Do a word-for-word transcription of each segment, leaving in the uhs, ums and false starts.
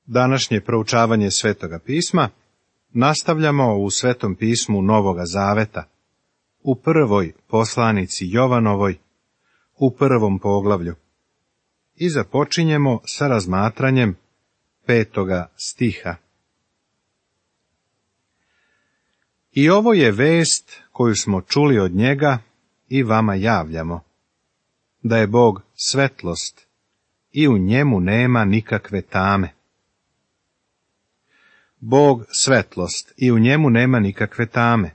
Današnje proučavanje Svetoga pisma nastavljamo u Svetom pismu Novoga Zaveta, u prvoj poslanici Jovanovoj, u prvom poglavlju, i započinjemo sa razmatranjem petoga stiha. I ovo je vest koju smo čuli od njega i vama javljamo, da je Bog svetlost i u njemu nema nikakve tame. Bog svetlost i u njemu nema nikakve tame.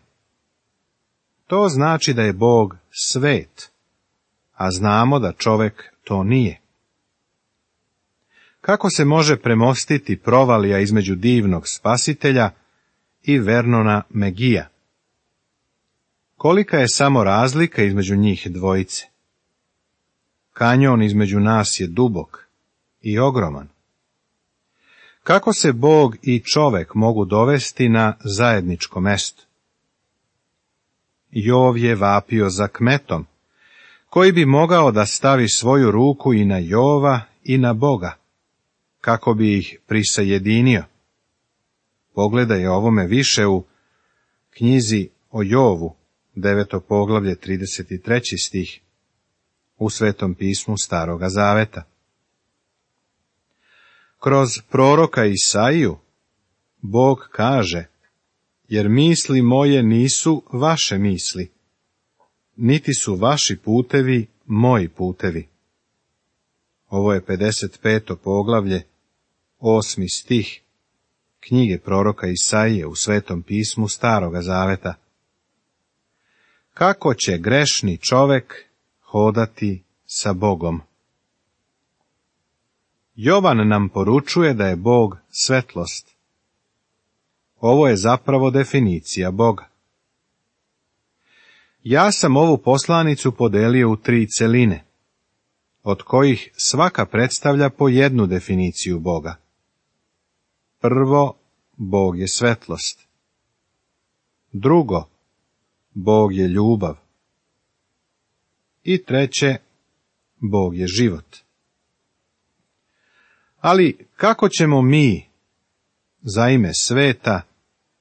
To znači da je Bog svet, a znamo da čovek to nije. Kako se može premostiti provalija između divnog Spasitelja i Vernona Megija? Kolika je samo razlika između njih dvojice? Kanjon između nas je dubok i ogroman. Kako se Bog i čovek mogu dovesti na zajedničko mesto? Jov je vapio za kmetom, koji bi mogao da stavi svoju ruku i na Jova i na Boga, kako bi ih prisajedinio. Pogledaj ovome više u knjizi o Jovu, deveto poglavlje, trideset treći stih, u Svetom pismu Staroga Zaveta. Kroz proroka Isaiju Bog kaže: jer misli moje nisu vaše misli, niti su vaši putevi moji putevi. Ovo je pedeset peto poglavlje, osmi stih knjige proroka Isaije u Svetom pismu Staroga Zaveta. Kako će grešni čovek hodati sa Bogom? Jovan nam poručuje da je Bog svetlost. Ovo je zapravo definicija Boga. Ja sam ovu poslanicu podelio u tri celine, od kojih svaka predstavlja po jednu definiciju Boga. Prvo, Bog je svetlost. Drugo, Bog je ljubav. I treće, Bog je život. Ali kako ćemo mi, za ime sveta,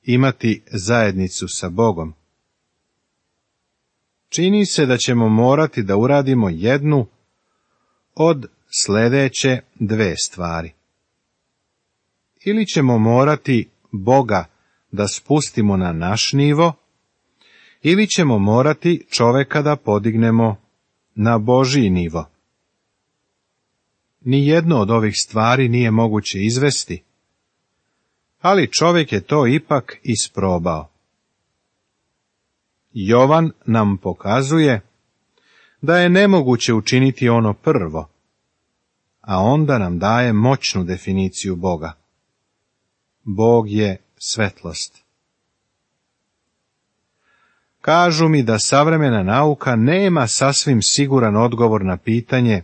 imati zajednicu sa Bogom? Čini se da ćemo morati da uradimo jednu od sledeće dve stvari. Ili ćemo morati Boga da spustimo na naš nivo, ili ćemo morati čoveka da podignemo na Božji nivo. Nijedno od ovih stvari nije moguće izvesti, ali čovjek je to ipak isprobao. Jovan nam pokazuje da je nemoguće učiniti ono prvo, a onda nam daje moćnu definiciju Boga. Bog je svetlost. Kažu mi da savremena nauka nema sasvim siguran odgovor na pitanje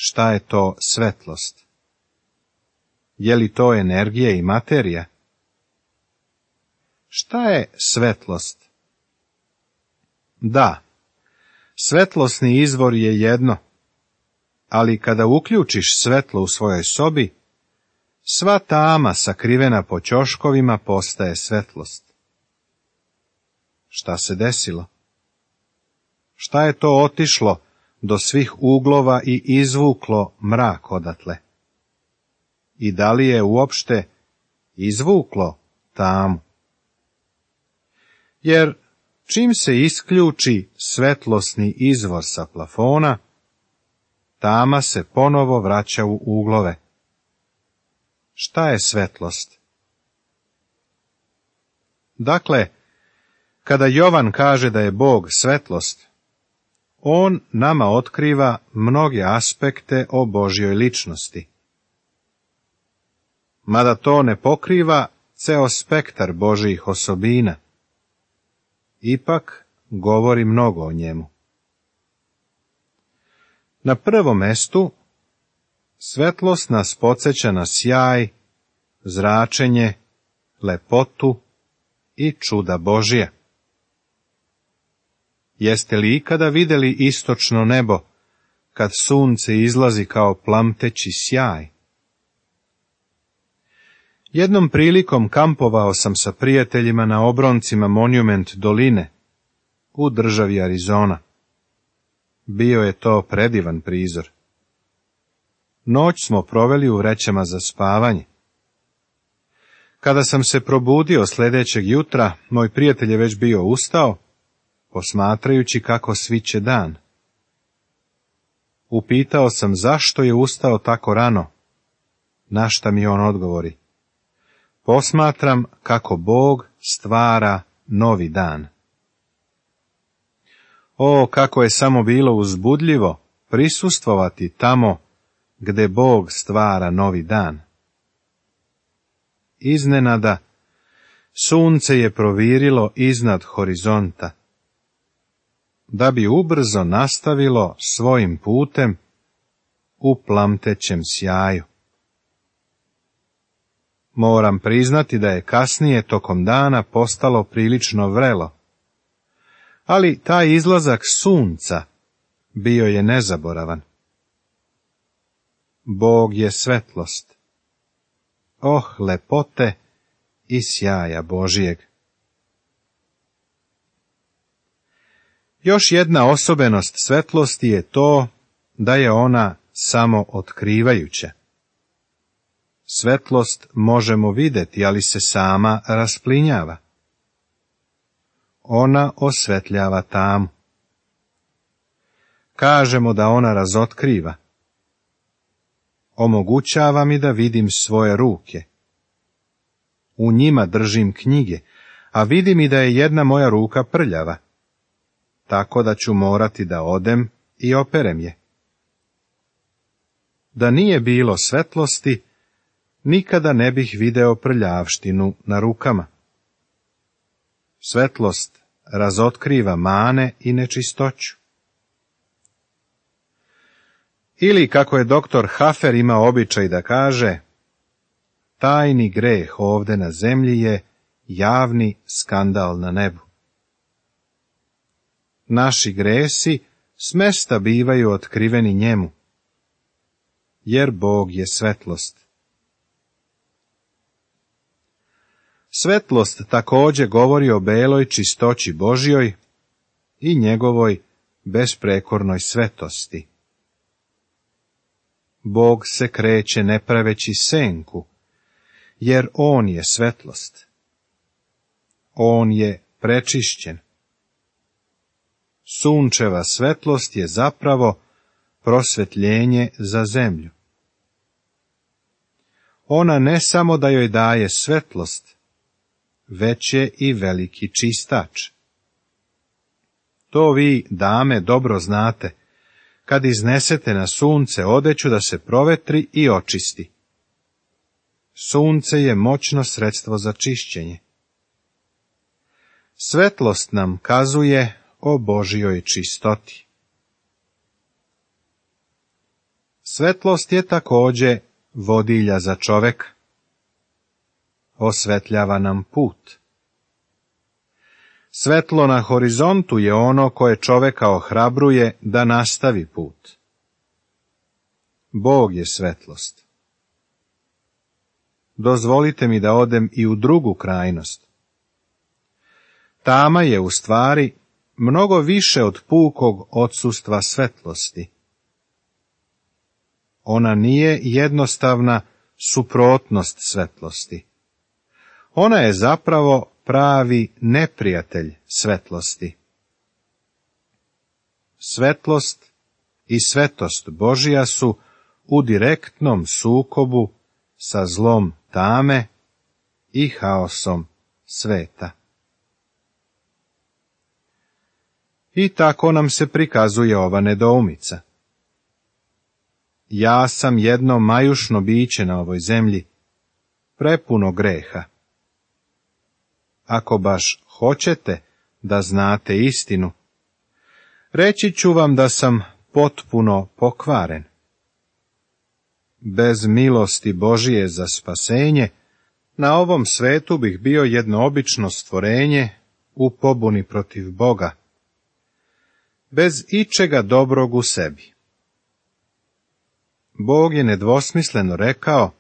šta je to svetlost. Je li to energija i materija? Šta je svetlost? Da, svetlosni izvor je jedno, ali kada uključiš svetlo u svojoj sobi, sva tama sakrivena po ćoškovima postaje svetlost. Šta se desilo? Šta je to otišlo do svih uglova i izvuklo mrak odatle? I da li je uopšte izvuklo tamu? Jer čim se isključi svetlosni izvor sa plafona, tama se ponovo vraća u uglove. Šta je svetlost? Dakle, kada Jovan kaže da je Bog svetlost, on nama otkriva mnoge aspekte o Božjoj ličnosti. Mada to ne pokriva ceo spektar Božjih osobina, ipak govori mnogo o njemu. Na prvom mestu, svetlost nas podsjeća na sjaj, zračenje, lepotu i čuda Božja. Jeste li ikada vidjeli istočno nebo, kad sunce izlazi kao plamteći sjaj? Jednom prilikom kampovao sam sa prijateljima na obroncima Monument doline u državi Arizona. Bio je to predivan prizor. Noć smo proveli u vrećama za spavanje. Kada sam se probudio sljedećeg jutra, moj prijatelj je već bio ustao, posmatrajući kako sviće dan. Upitao sam zašto je ustao tako rano, na šta mi on odgovori: posmatram kako Bog stvara novi dan. O, kako je samo bilo uzbudljivo prisustvovati tamo gde Bog stvara novi dan. Iznenada, sunce je provirilo iznad horizonta, da bi ubrzo nastavilo svojim putem u plamtećem sjaju. Moram priznati da je kasnije tokom dana postalo prilično vrelo, ali taj izlazak sunca bio je nezaboravan. Bog je svetlost. Oh, lepote i sjaja Božijeg! Još jedna osobenost svetlosti je to da je ona samo otkrivajuća. Svetlost možemo vidjeti, ali se sama rasplinjava. Ona osvetljava tamu. Kažemo da ona razotkriva. Omogućava mi da vidim svoje ruke. U njima držim knjige, a vidim i da je jedna moja ruka prljava, tako da ću morati da odem i operem je. Da nije bilo svetlosti, nikada ne bih video prljavštinu na rukama. Svetlost razotkriva mane i nečistoću. Ili, kako je doktor Hafer imao običaj da kaže, tajni greh ovde na zemlji je javni skandal na nebu. Naši gresi smesta bivaju otkriveni njemu, jer Bog je svetlost. Svetlost također govori o beloj čistoći Božjoj i njegovoj besprekornoj svetosti. Bog se kreće ne praveći senku, jer on je svetlost. On je prečišćen. Sunčeva svetlost je zapravo prosvetljenje za zemlju. Ona ne samo da joj daje svetlost, već je i veliki čistač. To vi, dame, dobro znate, kad iznesete na sunce odeću da se provetri i očisti. Sunce je moćno sredstvo za čišćenje. Svetlost nam kazuje o Božjoj čistoti. Svetlost je također vodilja za čoveka. Osvetljava nam put. Svetlo na horizontu je ono koje čoveka ohrabruje da nastavi put. Bog je svetlost. Dozvolite mi da odem i u drugu krajnost. Tama je u stvari mnogo više od pukog odsustva svetlosti. Ona nije jednostavna suprotnost svetlosti. Ona je zapravo pravi neprijatelj svetlosti. Svetlost i svetost Božja su u direktnom sukobu sa zlom tame i haosom sveta. I tako nam se prikazuje ova nedoumica. Ja sam jedno majušno biće na ovoj zemlji, prepuno greha. Ako baš hoćete da znate istinu, reći ću vam da sam potpuno pokvaren. Bez milosti Božije za spasenje, na ovom svetu bih bio jedno obično stvorenje u pobuni protiv Boga, bez ičega dobrog u sebi. Bog je nedvosmisleno rekao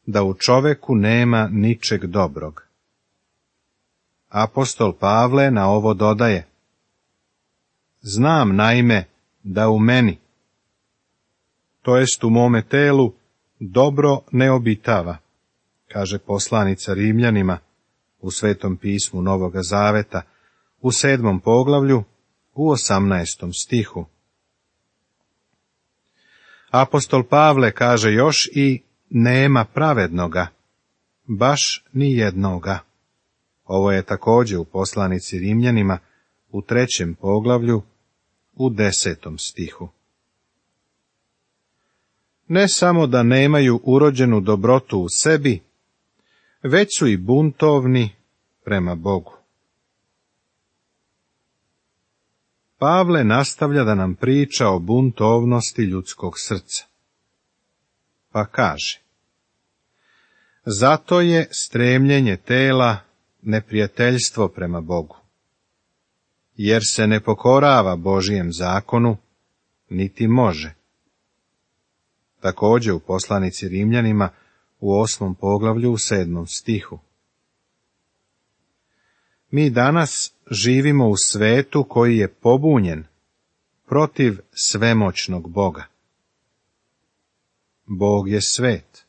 da u čoveku nema ničeg dobrog. Apostol Pavle na ovo dodaje: Znam naime da u meni, to jest u mome telu, dobro ne obitava, kaže poslanica Rimljanima u Svetom pismu Novoga Zaveta, u sedmom poglavlju, u osamnaestom stihu. Apostol Pavle kaže još i nema pravednoga, baš ni jednoga. Ovo je također u poslanici Rimljanima u trećem poglavlju, u desetom stihu. Ne samo da nemaju urođenu dobrotu u sebi, već su i buntovni prema Bogu. Pavle nastavlja da nam priča o buntovnosti ljudskog srca. Pa kaže: Zato je stremljenje tela neprijateljstvo prema Bogu, jer se ne pokorava Božijem zakonu, niti može. Također u poslanici Rimljanima u osmom poglavlju u sedmom stihu. Mi danas živimo u svetu koji je pobunjen protiv svemoćnog Boga. Bog je svet.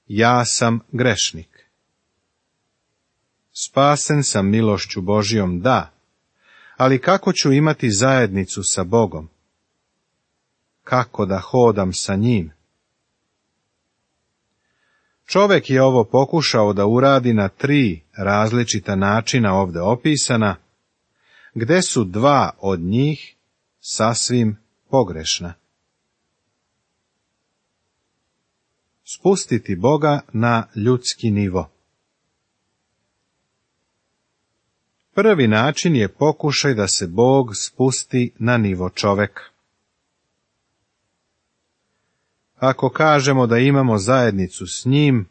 Ja sam grešnik. Spasen sam milošću Božijom, da, ali kako ću imati zajednicu sa Bogom? Kako da hodam sa njim? Čovek je ovo pokušao da uradi na tri različita načina ovdje opisana, gde su dva od njih sasvim pogrešna. Spustiti Boga na ljudski nivo. Prvi način je pokušaj da se Bog spusti na nivo čoveka. Ako kažemo da imamo zajednicu s njim,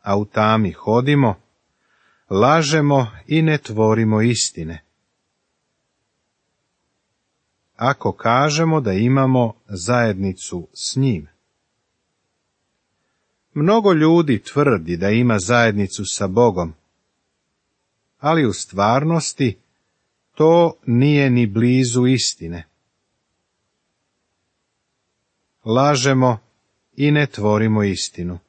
a u tami hodimo, lažemo i ne tvorimo istine. Ako kažemo da imamo zajednicu s njim. Mnogo ljudi tvrdi da ima zajednicu sa Bogom, ali u stvarnosti to nije ni blizu istine. Lažemo i ne tvorimo istinu.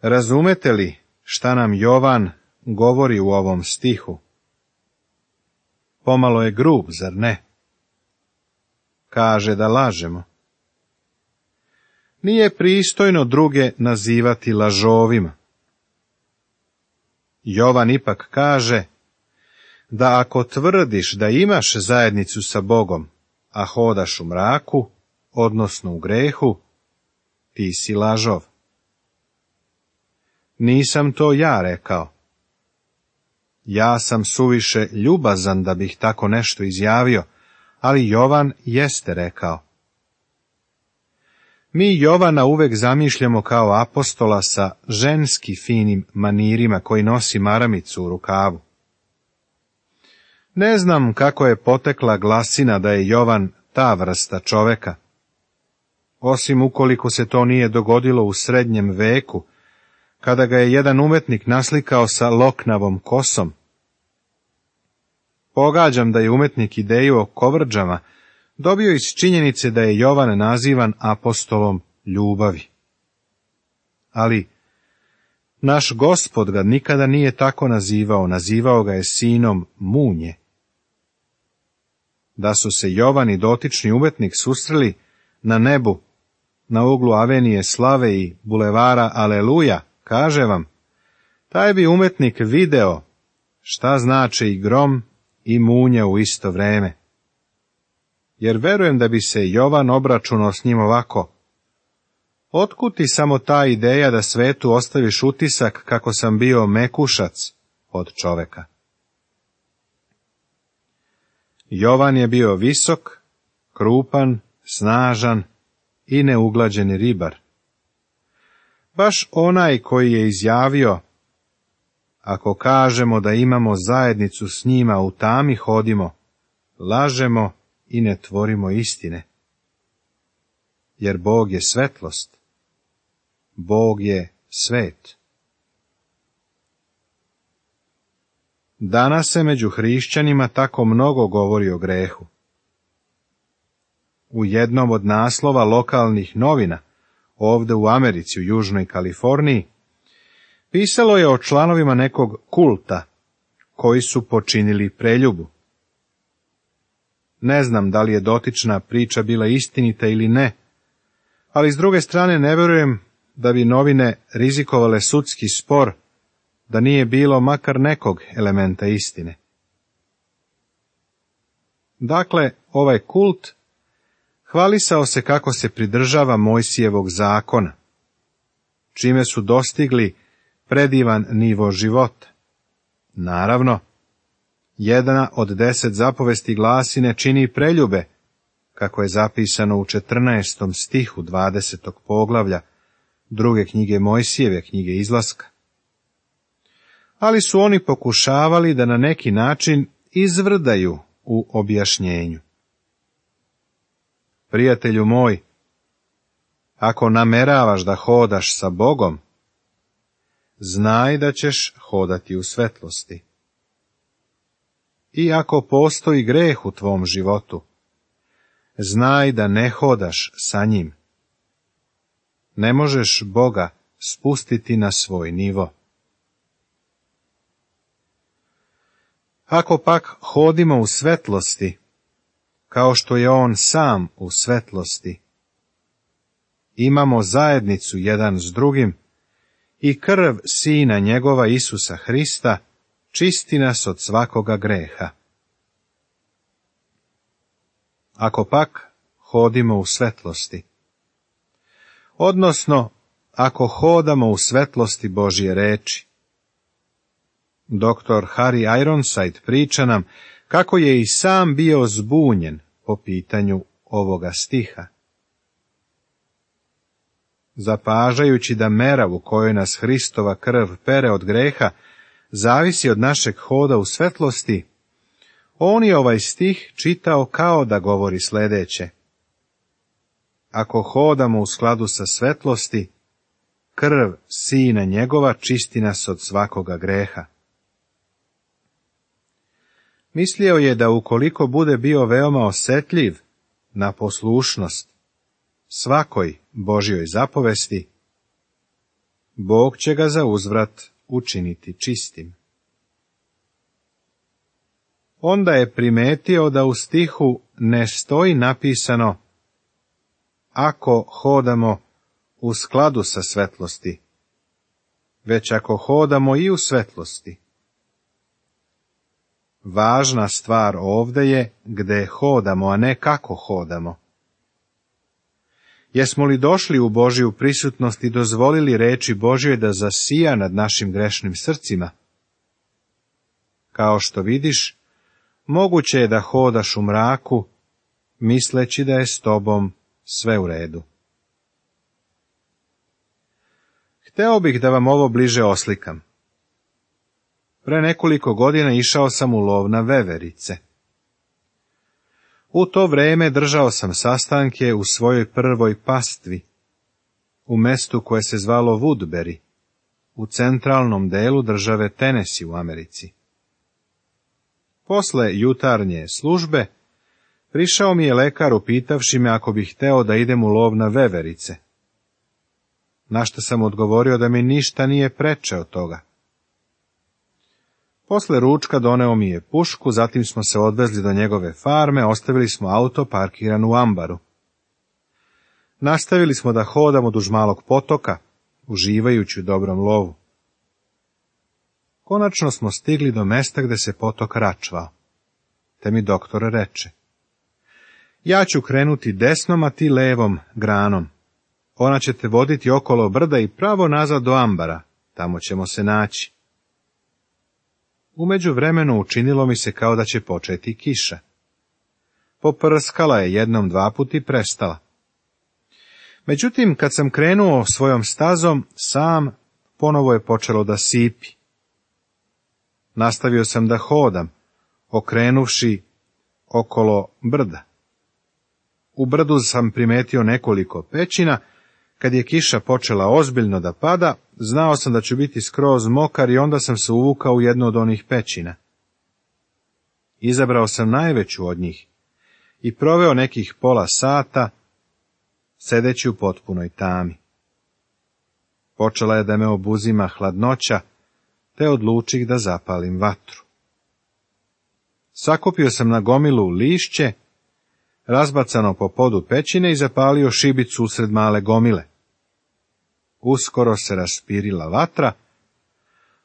Razumete li šta nam Jovan govori u ovom stihu? Pomalo je grub, zar ne? Kaže da lažemo. Nije pristojno druge nazivati lažovima. Jovan ipak kaže da ako tvrdiš da imaš zajednicu sa Bogom, a hodaš u mraku, odnosno u grehu, ti si lažov. Nisam to ja rekao. Ja sam suviše ljubazan da bih tako nešto izjavio, ali Jovan jeste rekao. Mi Jovana uvek zamišljamo kao apostola sa ženski finim manirima koji nosi maramicu u rukavu. Ne znam kako je potekla glasina da je Jovan ta vrsta čoveka, osim ukoliko se to nije dogodilo u srednjem veku, kada ga je jedan umetnik naslikao sa loknavom kosom. Pogađam da je umetnik ideju o kovrđama dobio iz činjenice da je Jovan nazivan apostolom ljubavi. Ali naš Gospod ga nikada nije tako nazivao, nazivao ga je sinom munje. Da su se Jovan i dotični umetnik susreli na nebu, na uglu Avenije Slave i bulevara Aleluja, kaže vam, taj bi umetnik video šta znače i grom i munja u isto vreme. Jer verujem da bi se Jovan obračunao s njim ovako: otkud ti samo ta ideja da svetu ostaviš utisak kako sam bio mekušac od čoveka? Jovan je bio visok, krupan, snažan i neuglađeni ribar. Baš onaj koji je izjavio: ako kažemo da imamo zajednicu s njima, u tami hodimo, lažemo i ne tvorimo istine. Jer Bog je svetlost Bog je svet. Danas se među hrišćanima tako mnogo govori o grehu. U jednom od naslova lokalnih novina, ovdje u Americi, u Južnoj Kaliforniji, pisalo je o članovima nekog kulta, koji su počinili preljubu. Ne znam da li je dotična priča bila istinita ili ne, ali s druge strane ne vjerujem da bi novine rizikovale sudski spor, da nije bilo makar nekog elementa istine. Dakle, ovaj kult hvalisao se kako se pridržava Mojsijevog zakona, čime su dostigli predivan nivo života. Naravno, jedna od deset zapovesti glasi ne čini preljube, kako je zapisano u četrnaestom stihu dvadesetog poglavlja druge knjige Mojsijeve, knjige Izlaska. Ali su oni pokušavali da na neki način izvrdaju u objašnjenju. Prijatelju moj, ako nameravaš da hodaš sa Bogom, znaj da ćeš hodati u svetlosti. I ako postoji greh u tvom životu, znaj da ne hodaš sa njim. Ne možeš Boga spustiti na svoj nivo. Ako pak hodimo u svetlosti, kao što je on sam u svetlosti, imamo zajednicu jedan s drugim i krv Sina njegova Isusa Hrista čisti nas od svakoga greha. Ako pak hodimo u svetlosti, odnosno ako hodamo u svetlosti Božje reči. Doktor Harry Ironside priča nam kako je i sam bio zbunjen po pitanju ovoga stiha. Zapažajući da mera u kojoj nas Hristova krv pere od greha zavisi od našeg hoda u svetlosti, on je ovaj stih čitao kao da govori sljedeće. Ako hodamo u skladu sa svetlosti, krv Sina njegova čisti nas od svakoga greha. Mislio je da ukoliko bude bio veoma osjetljiv na poslušnost svakoj Božjoj zapovesti, Bog će ga za uzvrat učiniti čistim. Onda je primetio da u stihu ne stoji napisano ako hodamo u skladu sa svetlosti, već ako hodamo i u svetlosti. Važna stvar ovdje je gdje hodamo, a ne kako hodamo. Jesmo li došli u Božju prisutnost i dozvolili reči Božjoj da zasija nad našim grešnim srcima? Kao što vidiš, moguće je da hodaš u mraku, misleći da je s tobom sve u redu. Hteo bih da vam ovo bliže oslikam. Pre nekoliko godina išao sam u lov na veverice. U to vreme držao sam sastanke u svojoj prvoj pastvi, u mestu koje se zvalo Woodbury, u centralnom delu države Tennessee u Americi. Posle jutarnje službe, prišao mi je lekar upitavši me ako bih hteo da idem u lov na veverice. Na što sam odgovorio da mi ništa nije preče od toga. Posle ručka doneo mi je pušku, zatim smo se odvezli do njegove farme, ostavili smo auto parkiran u ambaru. Nastavili smo da hodamo duž malog potoka, uživajući u dobrom lovu. Konačno smo stigli do mesta gde se potok račvao, te mi doktor reče: ja ću krenuti desnom, a ti levom granom. Ona će te voditi okolo brda i pravo nazad do ambara, tamo ćemo se naći. U međuvremenu učinilo mi se kao da će početi kiša. Poprskala je jednom dva put i prestala. Međutim, kad sam krenuo svojom stazom, sam ponovo je počelo da sipi. Nastavio sam da hodam, okrenuvši okolo brda. U brdu sam primetio nekoliko pećina, Kad je kiša počela ozbiljno da pada, znao sam da ću biti skroz mokar i onda sam se uvukao u jednu od onih pećina. Izabrao sam najveću od njih i proveo nekih pola sata sedeći u potpunoj tami. Počela je da me obuzima hladnoća, te odlučih da zapalim vatru. Sakupio sam na gomilu lišće, razbacano po podu pećine i zapalio šibicu usred male gomile. Uskoro se raspirila vatra,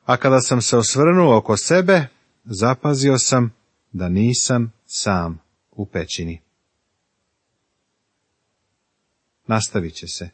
a kada sam se osvrnuo oko sebe, zapazio sam da nisam sam u pećini. Nastavit će se.